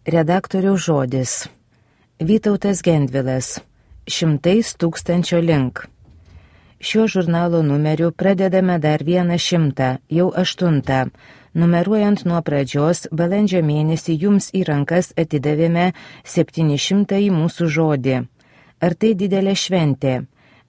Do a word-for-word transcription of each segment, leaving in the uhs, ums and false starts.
Redaktoriaus žodis. Vytautas Gendvilas. Šimtais tūkstančio link. Šiuo žurnalo numeriu pradedame dar vieną šimtą, jau aštuntą. Numeruojant nuo pradžios, balandžio mėnesį jums į rankas atidavėme septynišimtąjį mūsų žodį. Ar tai didelė šventė?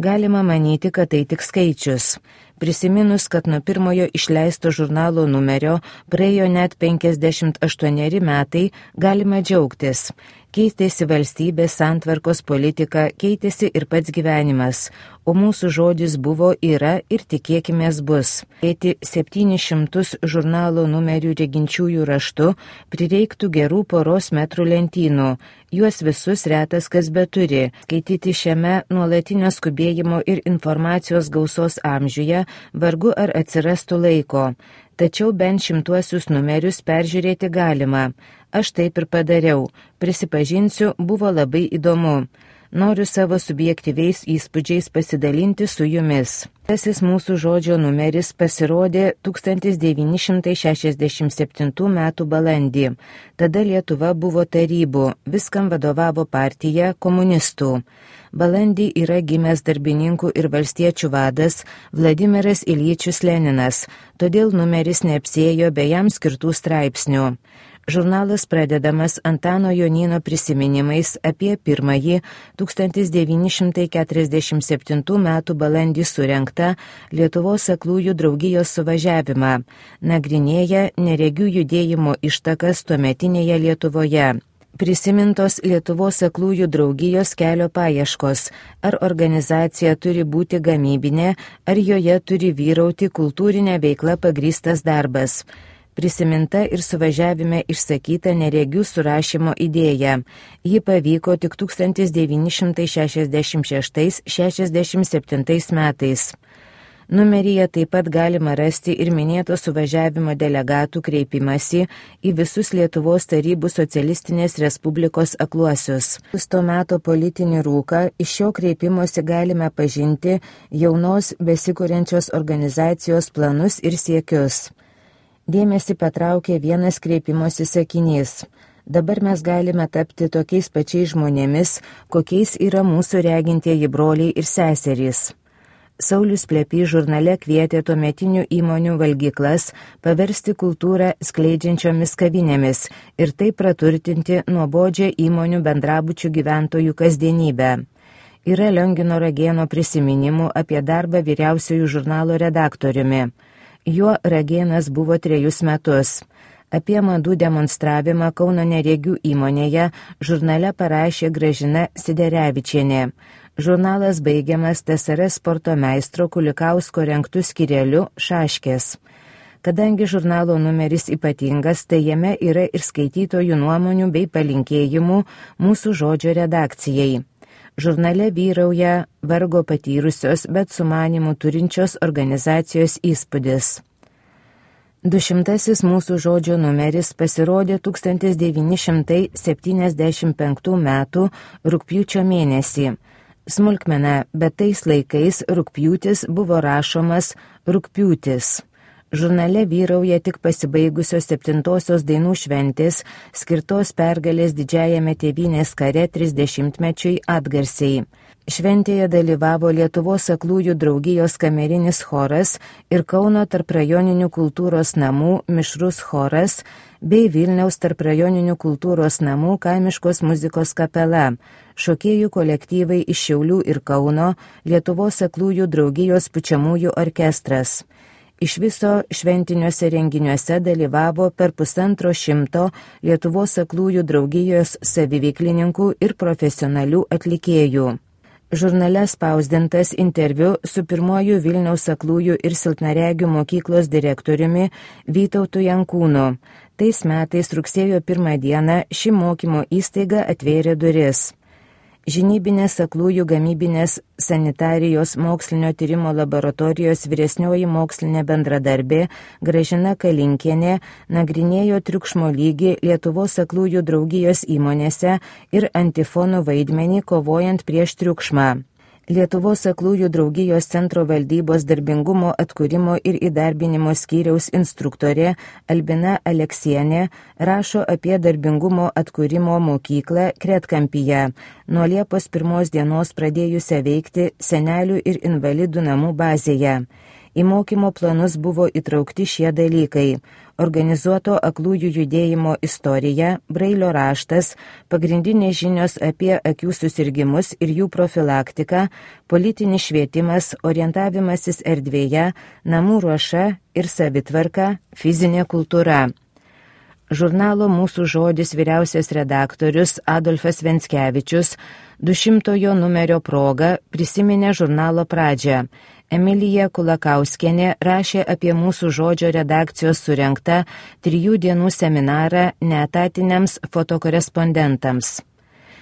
Galima manyti, kad tai tik skaičius. Prisiminus, kad nuo pirmojo išleisto žurnalo numerio praėjo net penkiasdešimt aštuoneri metai, galima džiaugtis. Keitėsi valstybės santvarkos politika, keitėsi ir pats gyvenimas, o mūsų žodis buvo, yra ir tikėkimės bus. Eiti septynis šimtus žurnalo numerių reginčiųjų raštu prireiktų gerų poros metrų lentynų. Juos visus retas kas beturi. Skaityti šiame nuolatinio skubėjimo ir informacijos gausos amžiuje vargu ar atsirastų laiko. Tačiau bent šimtuosius numerius peržiūrėti galima. Aš taip ir padariau. Prisipažinsiu, buvo labai įdomu. Noriu savo subjektyviais įspūdžiais pasidalinti su jumis. Tasis mūsų žodžio numeris pasirodė tūkstantis devyni šimtai šešiasdešimt septintų metų balandį. Tada Lietuva buvo tarybų, viskam vadovavo partija komunistų. Balandį yra gimęs darbininkų ir valstiečių vadas Vladimiras Iljičius Leninas, todėl numeris neapsėjo be jam skirtų straipsnių. Žurnalas pradedamas Antano Jonyno prisiminimais apie pirmąjį tūkstantis devyni šimtai keturiasdešimt septintų metų balandį surengtą Lietuvos aklųjų draugijos suvažiavimą, nagrinėja neregių judėjimo ištakas tuometinėje Lietuvoje. Prisimintos Lietuvos aklųjų draugijos kelio paieškos, ar organizacija turi būti gamybinė, ar joje turi vyrauti kultūrinė veikla pagrįstas darbas. Prisiminta ir suvažiavime išsakyta neregių surašymo idėja. Ji pavyko tik tūkstantis devyni šimtai šešiasdešimt šeštais šešiasdešimt septintais metais. Numeryje taip pat galima rasti ir minėto suvažiavimo delegatų kreipimąsi į visus Lietuvos tarybų socialistinės respublikos akluosius. To meto politinį rūką iš šio kreipimosi galime pažinti jaunos besikuriančios organizacijos planus ir siekius. Dėmesį patraukė vienas kreipimosi sakinys. Dabar mes galime tapti tokiais pačiais žmonėmis, kokiais yra mūsų regintieji broliai ir seserys. Saulius Plepys žurnale kvietė tuometinių įmonių valgyklas paversti kultūrą skleidžiančiomis kavinėmis ir taip praturtinti nuobodžią įmonių bendrabučių gyventojų kasdienybę. Yra Liongino Ragėno prisiminimų apie darbą vyriausiojų žurnalo redaktoriumi. Juo Ragėnas buvo trejus metus. Apie madų demonstravimą Kauno neregių įmonėje žurnale parašė Gražina Siderevičienė. Žurnalas baigiamas T S R S sporto meistro Kulikausko rengtų skyreliu Šaškės. Kadangi žurnalo numeris ypatingas, tai jame yra ir skaitytojų nuomonių bei palinkėjimų mūsų žodžio redakcijai. Žurnale vyrauja vargo patyrusios, bet sumanimų turinčios organizacijos įspūdis. Dušimtasis mūsų žodžio numeris pasirodė tūkstantis devyni šimtai septyniasdešimt penktų metų rugpjūčio mėnesį. Smulkmena, bet tais laikais rugpjūtis buvo rašomas rugpjūtis. Žurnale vyrauja tik pasibaigusios septintosios dainų šventės, skirtos pergalės didžiajame tėvynės kare trisdešimtmečiui atgarsiai. Šventėje dalyvavo Lietuvos aklųjų draugijos kamerinis choras ir Kauno tarprajoninių kultūros namų mišrus choras bei Vilniaus tarprajoninių kultūros namų kaimiškos muzikos kapela, šokėjų kolektyvai iš Šiaulių ir Kauno, Lietuvos aklųjų draugijos pučiamųjų orkestras. Iš viso šventiniuose renginiuose dalyvavo per pusantro šimto Lietuvos aklųjų draugijos saviveiklininkų ir profesionalių atlikėjų. Žurnale spausdintas interviu su pirmuoju Vilniaus aklųjų ir silpnaregių mokyklos direktoriumi Vytautu Jankūnu. Tais metais rugsėjo pirmą dieną ši mokymo įstaiga atvėrė duris. Žinybinės aklųjų gamybinės sanitarijos mokslinio tyrimo laboratorijos vyresnioji mokslinė bendradarbė Gražina Kalinkienė nagrinėjo triukšmo lygį Lietuvos aklųjų draugijos įmonėse ir antifonų vaidmenį kovojant prieš triukšmą. Lietuvos aklųjų draugijos centro valdybos darbingumo atkūrimo ir įdarbinimo skyriaus instruktorė Albina Aleksienė rašo apie darbingumo atkūrimo mokyklą Kretkampyje, nuo Liepos pirmos dienos pradėjusią veikti senelių ir invalidų namų bazėje. Į mokymo planus buvo įtraukti šie dalykai – organizuoto aklųjų judėjimo istorija, brailio raštas, pagrindinės žinios apie akių susirgimus ir jų profilaktiką, politinis švietimas, orientavimasis erdvėje, namų ruoša ir savitvarka, fizinė kultūra. Žurnalo Mūsų žodis vyriausias redaktorius Adolfas Venckevičius dušimtojo numerio proga prisiminė žurnalo pradžią. Emilija Kulakauskienė rašė apie Mūsų žodžio redakcijos surengtą trijų dienų seminarą neetatiniams fotokorespondentams.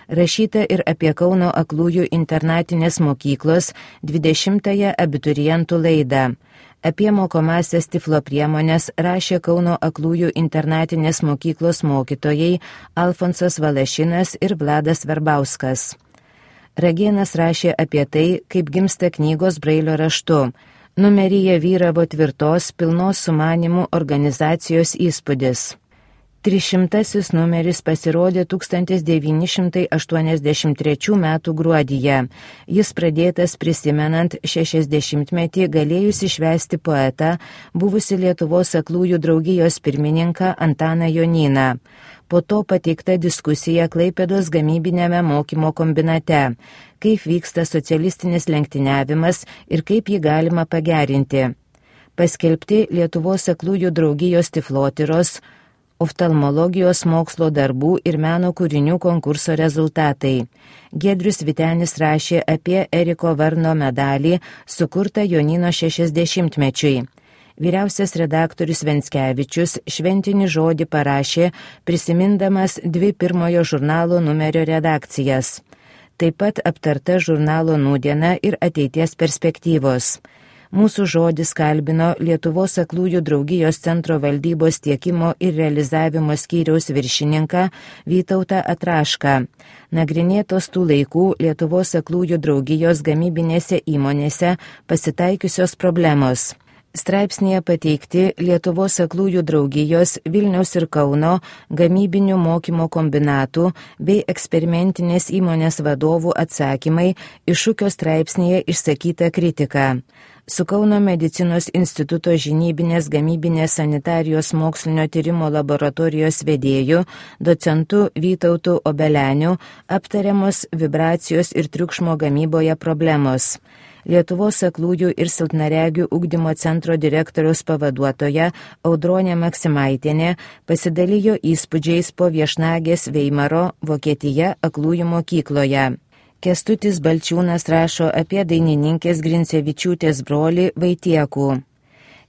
Rašyta ir apie Kauno aklųjų internatinės mokyklos dvidešimtąją abiturientų laidą. Apie mokomąsias tiflo priemonės rašė Kauno aklųjų internatinės mokyklos mokytojai Alfonsas Valašinas ir Vladas Verbauskas. Ragėnas rašė apie tai, kaip gimsta knygos brailio raštu. Numeryje vyravo tvirtos, pilnos sumanimų organizacijos įspūdis. Trišimtasis numeris pasirodė tūkstantis devyni šimtai aštuoniasdešimt trečių metų gruodyje. Jis pradėtas prisimenant šešiasdešimtmetį galėjusi švęsti poetą, buvusi Lietuvos aklųjų draugijos pirmininką Antaną Jonyną. Po to pateikta diskusija Klaipėdos gamybinėme mokymo kombinate, kaip vyksta socialistinis lenktyniavimas ir kaip jį galima pagerinti. Paskelbti Lietuvos aklųjų draugijos tiflotyros, oftalmologijos mokslo darbų ir meno kūrinių konkurso rezultatai. Giedrius Vytenis rašė apie Eriko Varno medalį, sukurtą Jonyno šešiasdešimtmečiui. Vyriausias redaktorius Venckevičius šventinį žodį parašė, prisimindamas dvi pirmojo žurnalo numerio redakcijas. Taip pat aptarta žurnalo nūdiena ir ateities perspektyvos. Mūsų žodis kalbino Lietuvos aklųjų draugijos centro valdybos tiekimo ir realizavimo skyriaus viršininką Vytautą Atrašką. Nagrinėtos tų laikų Lietuvos aklųjų draugijos gamybinėse įmonėse pasitaikiusios problemos. Straipsnėje pateikti Lietuvos aklųjų draugijos Vilniaus ir Kauno gamybinių mokymo kombinatų bei eksperimentinės įmonės vadovų atsakymai iš ūkio straipsnėje išsakyta kritika. Su Kauno medicinos instituto žinybinės gamybinės sanitarijos mokslinio tyrimo laboratorijos vedėju, docentu Vytautu Obeleniu, aptariamos vibracijos ir triukšmo gamyboje problemos. Lietuvos aklųjų ir silpnaregių ugdymo centro direktoriaus pavaduotoja Audronė Maksimaitienė pasidalijo įspūdžiais po viešnagės Veimaro, Vokietija, aklųjų mokykloje. Kęstutis Balčiūnas rašo apie dainininkės Grincevičiūtės brolį Vaitiekų.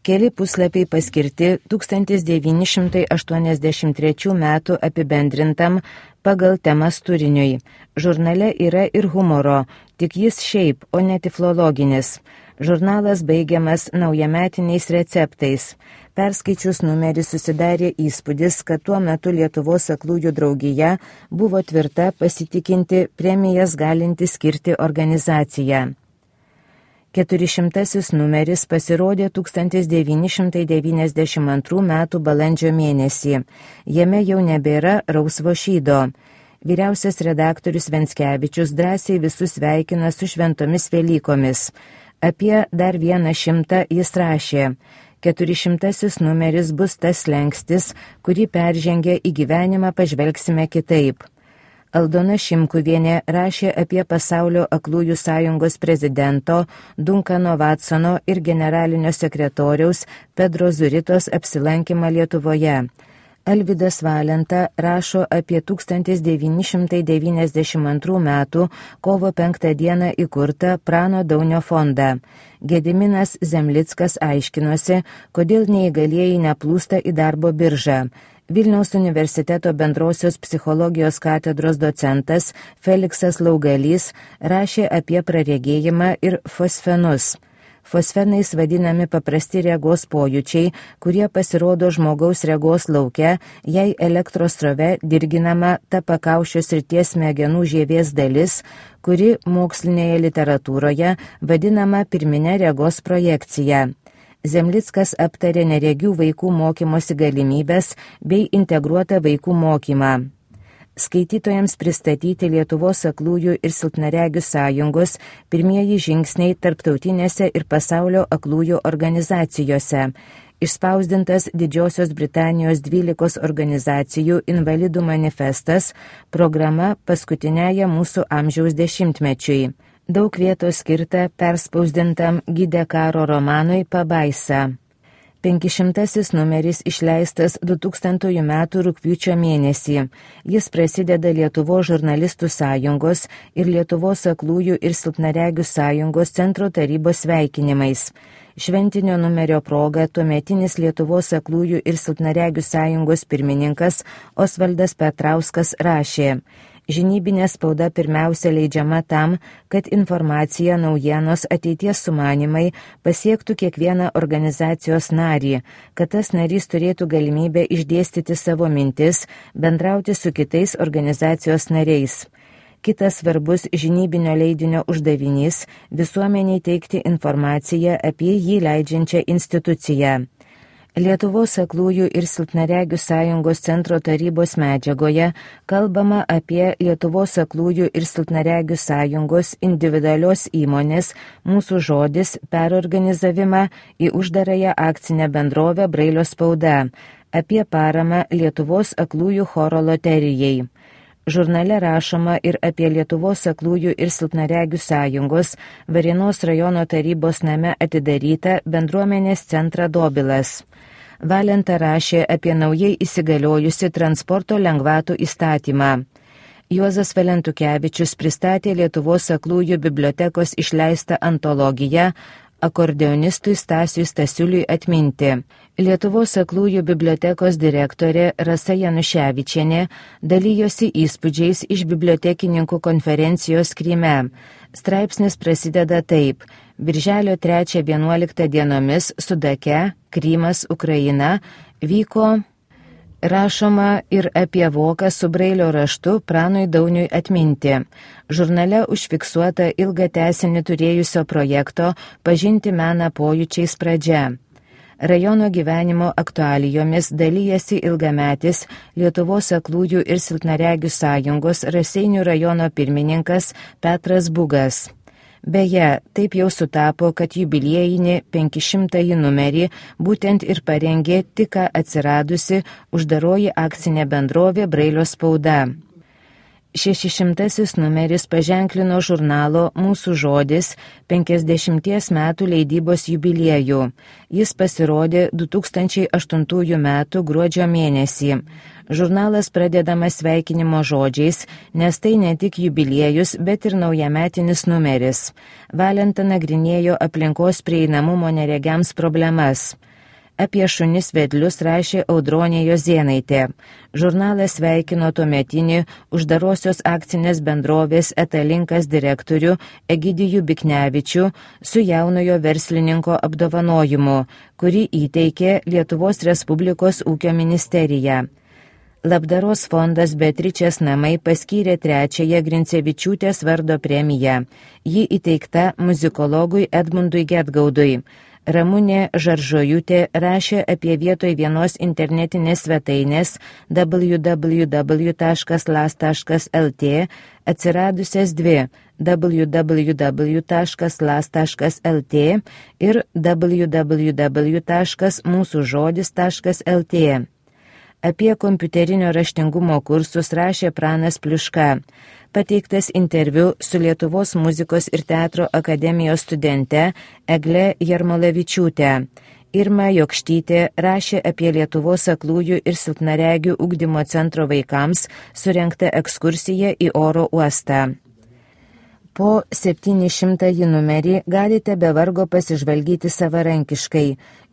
Keli puslapiai paskirti tūkstantis devyni šimtai aštuoniasdešimt trečių metų apibendrintam pagal temas turiniui. Žurnale yra ir humoro, tik jis šiaip, o ne tiflologinis. Žurnalas baigiamas naujametiniais receptais. Perskaičius numerį susidarė įspūdis, kad tuo metu Lietuvos aklųjų draugija buvo tvirta pasitikinti premijas galinti skirti organizaciją. Keturišimtasis numeris pasirodė tūkstantis devyni šimtai devyniasdešimt antrų metų balandžio mėnesį. Jame jau nebėra rausvo šydo. Vyriausias redaktorius Venckevičius drąsiai visus sveikina su šventomis Velykomis. Apie dar vieną šimtą jis rašė. Keturišimtasis numeris bus tas slengstis, kurį peržengę į gyvenimą pažvelgsime kitaip. Aldona Šimkuvienė rašė apie pasaulio aklųjų sąjungos prezidento Dunkano Vatsono ir generalinio sekretoriaus Pedro Zuritos apsilankymą Lietuvoje. Alvydas Valenta rašo apie tūkstantis devyni šimtai devyniasdešimt antrų metų kovo penktą dieną įkurtą Prano Daunio fondą. Gediminas Zemlickas aiškinosi, kodėl neįgalieji neplūsta į darbo biržą. Vilniaus universiteto bendrosios psichologijos katedros docentas Feliksas Laugalys rašė apie praregėjimą ir fosfenus. Fosfenais vadinami paprasti regos pojūčiai, kurie pasirodo žmogaus regos lauke, jei elektros srove dirginama ta pakaušio srities smegenų žievės dalis, kuri mokslinėje literatūroje vadinama pirminė regos projekcija. Zemlickas aptarė neregių vaikų mokymosi galimybės bei integruotą vaikų mokymą. Skaitytojams pristatyti Lietuvos aklųjų ir silpnaregių sąjungos pirmieji žingsniai tarptautinėse ir pasaulio aklųjų organizacijose. Išspausdintas Didžiosios Britanijos dvylikos organizacijų invalidų manifestas, programa paskutiniąją mūsų amžiaus dešimtmečiui. Daug vietos skirta perspausdintam Gide Karo romanui Pabaisa. Penkišimtasis numeris išleistas du tūkstantųjų metų rugpjūčio mėnesį. Jis prasideda Lietuvos žurnalistų sąjungos ir Lietuvos aklųjų ir silpnaregių sąjungos centro tarybos sveikinimais. Šventinio numerio proga tuometinis Lietuvos aklųjų ir silpnaregių sąjungos pirmininkas Osvaldas Petrauskas rašė: Žinybinė spauda pirmiausia leidžiama tam, kad informacija, naujienos, ateities sumanimai pasiektų kiekvieną organizacijos narį, kad tas narys turėtų galimybę išdėstyti savo mintis, bendrauti su kitais organizacijos nariais. Kitas svarbus žinybinio leidinio uždavinys – visuomeniai teikti informaciją apie jį leidžiančią instituciją. Lietuvos aklųjų ir silpnaregių sąjungos centro tarybos medžiagoje kalbama apie Lietuvos aklųjų ir silpnaregių sąjungos individualios įmonės Mūsų žodis perorganizavimą į uždarąją akcinę bendrovę Brailio spauda, apie paramą Lietuvos aklųjų choro loterijai. Žurnale rašoma ir apie Lietuvos aklųjų ir silpnaregių sąjungos Varėnos rajono tarybos name atidarytą bendruomenės centrą Dobilas. Valenta rašė apie naujai įsigaliojusi transporto lengvatų įstatymą. Juozas Valentukevičius pristatė Lietuvos aklųjų bibliotekos išleistą antologiją akordeonistui Stasiui Stasiuliui atminti. Lietuvos aklųjų bibliotekos direktorė Rasa Januševičienė dalyjosi įspūdžiais iš bibliotekininkų konferencijos Kryme. Straipsnis prasideda taip: Birželio trečią vienuoliktą dienomis Sudake, Krymas, Ukraina, vyko rašoma ir apie voką su Brailio raštu Pranui Dauniui atminti. Žurnale užfiksuota ilgą tęsinį turėjusio projekto Pažinti meną pojūčiais pradžia. Rajono gyvenimo aktualijomis dalyjasi ilgametis Lietuvos aklųjų ir silpnaregių sąjungos Raseinių rajono pirmininkas Petras Bugas. Beje, taip jau sutapo, kad jubiliejinį penkišimtąjį numerį būtent ir parengė tik atsiradusi uždaroji akcinė bendrovė Brailio spauda. Šešišimtasis numeris paženklino žurnalo Mūsų žodis penkiasdešimties metų leidybos jubiliejų. Jis pasirodė du tūkstančiai aštuntųjų metų gruodžio mėnesį. Žurnalas pradedamas sveikinimo žodžiais, nes tai ne tik jubiliejus, bet ir naujametinis numeris. Valenta nagrinėjo aplinkos prieinamumo neregiams problemas. Apie šunis vedlius rašė Audronė Jozėnaitė. Žurnalas sveikino tuometinį uždarosios akcinės bendrovės Etalinkas direktorių Egidijų Biknevičių su jaunojo verslininko apdovanojimu, kurį įteikė Lietuvos Respublikos ūkio ministerija. Labdaros fondas Beatričės namai paskyrė trečiąją Grincevičiūtės vardo premiją. Ji įteikta muzikologui Edmundui Gedgaudui. Ramunė Žaržojutė rašė apie vietoj vienos internetinės svetainės w w w taškas las taškas l t atsiradusias dvi w w w taškas las taškas l t ir w w w taškas mūsų žodis taškas l t. Apie kompiuterinio raštingumo kursus rašė Pranas Pliuška. Pateiktas interviu su Lietuvos muzikos ir teatro akademijos studente Egle Jarmolavičiūtė. Irma Jokštytė rašė apie Lietuvos aklųjų ir silpnaregių ugdymo centro vaikams surengtą ekskursiją į oro uostą. Po septynišimtąjį numerį galite be vargo pasižvalgyti savarankiškai.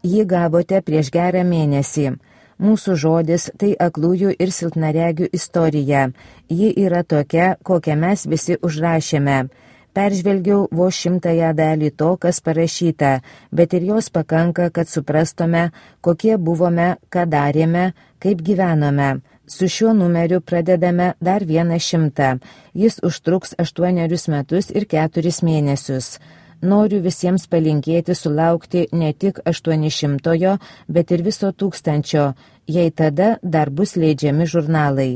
Jį gavote prieš gerą mėnesį. Mūsų žodis tai aklųjų ir silpnaregių istorija. Ji yra tokia, kokią mes visi užrašėme. Peržvelgiau vos šimtąją dalį to, kas parašyta, bet ir jos pakanka, kad suprastume, kokie buvome, ką darėme, kaip gyvenome. Su šiuo numeriu pradedame dar vieną šimtą. Jis užtruks aštuonerius metus ir keturis mėnesius. Noriu visiems palinkėti sulaukti ne tik aštuonišimtojo, bet ir viso tūkstančio, jei tada dar bus leidžiami žurnalai.